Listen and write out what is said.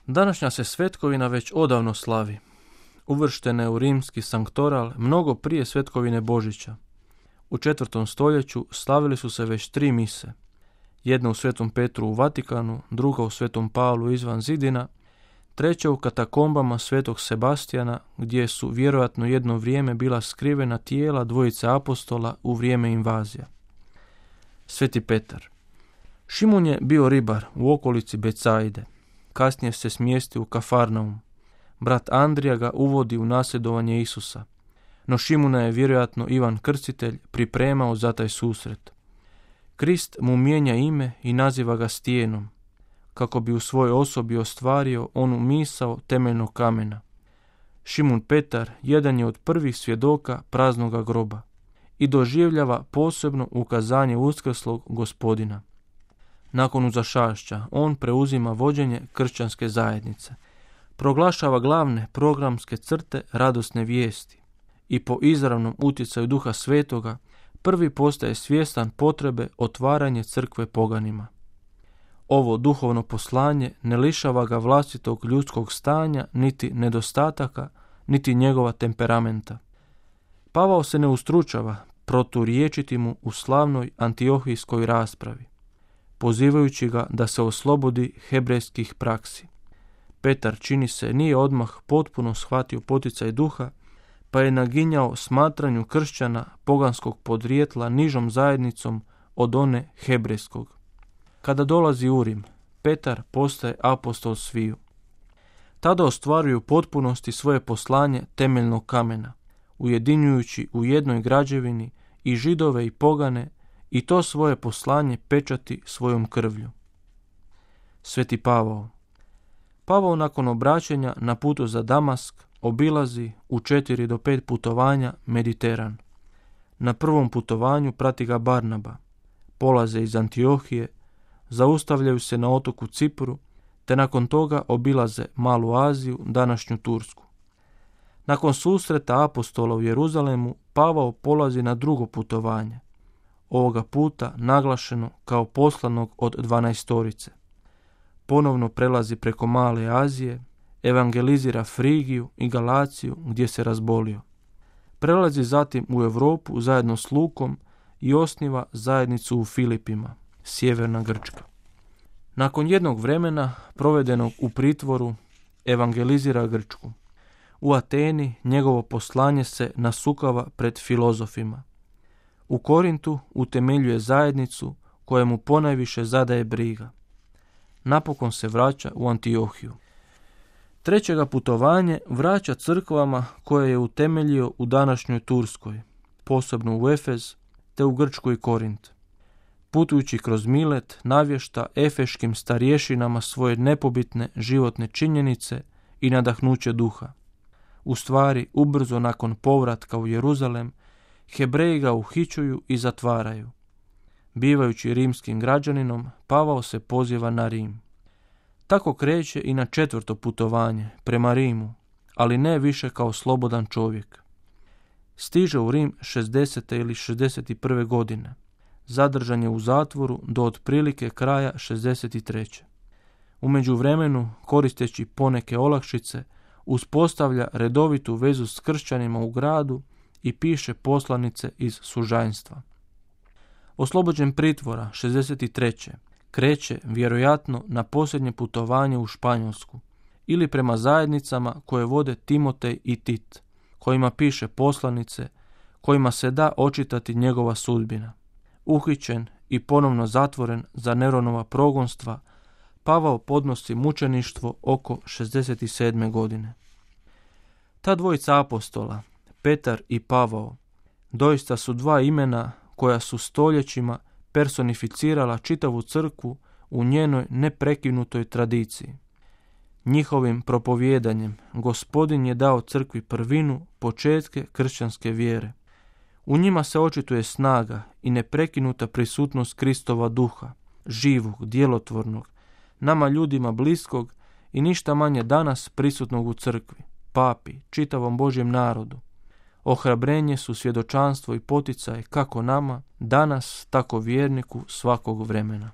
Današnja se svetkovina već odavno slavi. Uvrštena je u rimski sanktoral mnogo prije svetkovine Božića. U 4. stoljeću slavili su se već 3 mise. Jedna u Svetom Petru u Vatikanu, druga u Svetom Pavlu izvan zidina, treća u katakombama Svetog Sebastijana, gdje su vjerojatno jedno vrijeme bila skrivena tijela dvojice apostola u vrijeme invazija. Sveti Petar. Šimun je bio ribar u okolici Becajde. Kasnije se smjestio u Kafarnaum. Brat Andrija ga uvodi u nasljedovanje Isusa. No Šimuna je vjerojatno Ivan Krstitelj pripremao za taj susret. Krist mu mijenja ime i naziva ga Stijenom, kako bi u svojoj osobi ostvario onu misao temeljnog kamena. Šimun Petar jedan je od prvih svjedoka praznoga groba i doživljava posebno ukazanje uskrslog Gospodina. Nakon uzašašća on preuzima vođenje kršćanske zajednice, proglašava glavne programske crte radosne vijesti i po izravnom utjecaju Duha Svetoga prvi postaje svjestan potrebe otvaranje crkve poganima. Ovo duhovno poslanje ne lišava ga vlastitog ljudskog stanja, niti nedostataka, niti njegova temperamenta. Pavao se ne ustručava proturječiti mu u slavnoj antiohijskoj raspravi, pozivajući ga da se oslobodi hebrejskih praksi. Petar, čini se, nije odmah potpuno shvatio poticaj duha, pa je naginjao smatranju kršćana poganskog podrijetla nižom zajednicom od one hebrejskog. Kada dolazi u Rim, Petar postaje apostol sviju. Tada ostvaruju potpunosti svoje poslanje temeljnog kamena, ujedinjujući u jednoj građevini i Židove i pogane, i to svoje poslanje pečati svojom krvlju. Sveti Pavao. Pavao nakon obraćanja na putu za Damask obilazi u 4 do 5 putovanja Mediteran. Na prvom putovanju prati ga Barnaba. Polaze iz Antiohije, zaustavljaju se na otoku Cipru, te nakon toga obilaze Malu Aziju, današnju Tursku. Nakon susreta apostola u Jeruzalemu, Pavao polazi na drugo putovanje, ovoga puta naglašeno kao poslanog od 12. Ponovno prelazi preko Male Azije, evangelizira Frigiju i Galaciju gdje se razbolio. Prelazi zatim u Europu zajedno s Lukom i osniva zajednicu u Filipima, sjeverna Grčka. Nakon jednog vremena provedenog u pritvoru, evangelizira Grčku. U Ateni njegovo poslanje se nasukava pred filozofima. U Korintu utemeljuje zajednicu koja mu ponajviše zadaje briga. Napokon se vraća u Antiohiju. Trećega putovanje vraća crkvama koje je utemeljio u današnjoj Turskoj, posebno u Efez, te u Grčku i Korint. Putujući kroz Milet, navješta efeškim starješinama svoje nepobitne životne činjenice i nadahnuće duha. U stvari, ubrzo nakon povratka u Jeruzalem, Hebreji ga uhićuju i zatvaraju. Bivajući rimskim građaninom, Pavao se poziva na Rim. Tako kreće i na 4. putovanje, prema Rimu, ali ne više kao slobodan čovjek. Stiže u Rim 60. ili 61. godine. Zadržan je u zatvoru do otprilike kraja 63. U međuvremenu, koristeći poneke olakšice, uspostavlja redovitu vezu s kršćanima u gradu i piše poslanice iz sužanjstva. Oslobođen pritvora 63. kreće vjerojatno na posljednje putovanje u Španjolsku ili prema zajednicama koje vode Timotej i Tit, kojima piše poslanice, kojima se da očitati njegova sudbina. Uhićen i ponovno zatvoren za Neronova progonstva, Pavao podnosi mučeništvo oko 67. godine. Ta dvojica apostola, Petar i Pavao, doista su dva imena koja su stoljećima personificirala čitavu crkvu u njenoj neprekinutoj tradiciji. Njihovim propovijedanjem Gospodin je dao crkvi prvinu, početke kršćanske vjere. U njima se očituje snaga i neprekinuta prisutnost Kristova duha, živog, djelotvornog, nama ljudima bliskog i ništa manje danas prisutnog u crkvi, papi, čitavom Božjem narodu. Ohrabrenje su svjedočanstvo i poticaj kako nama, danas, tako vjerniku svakog vremena.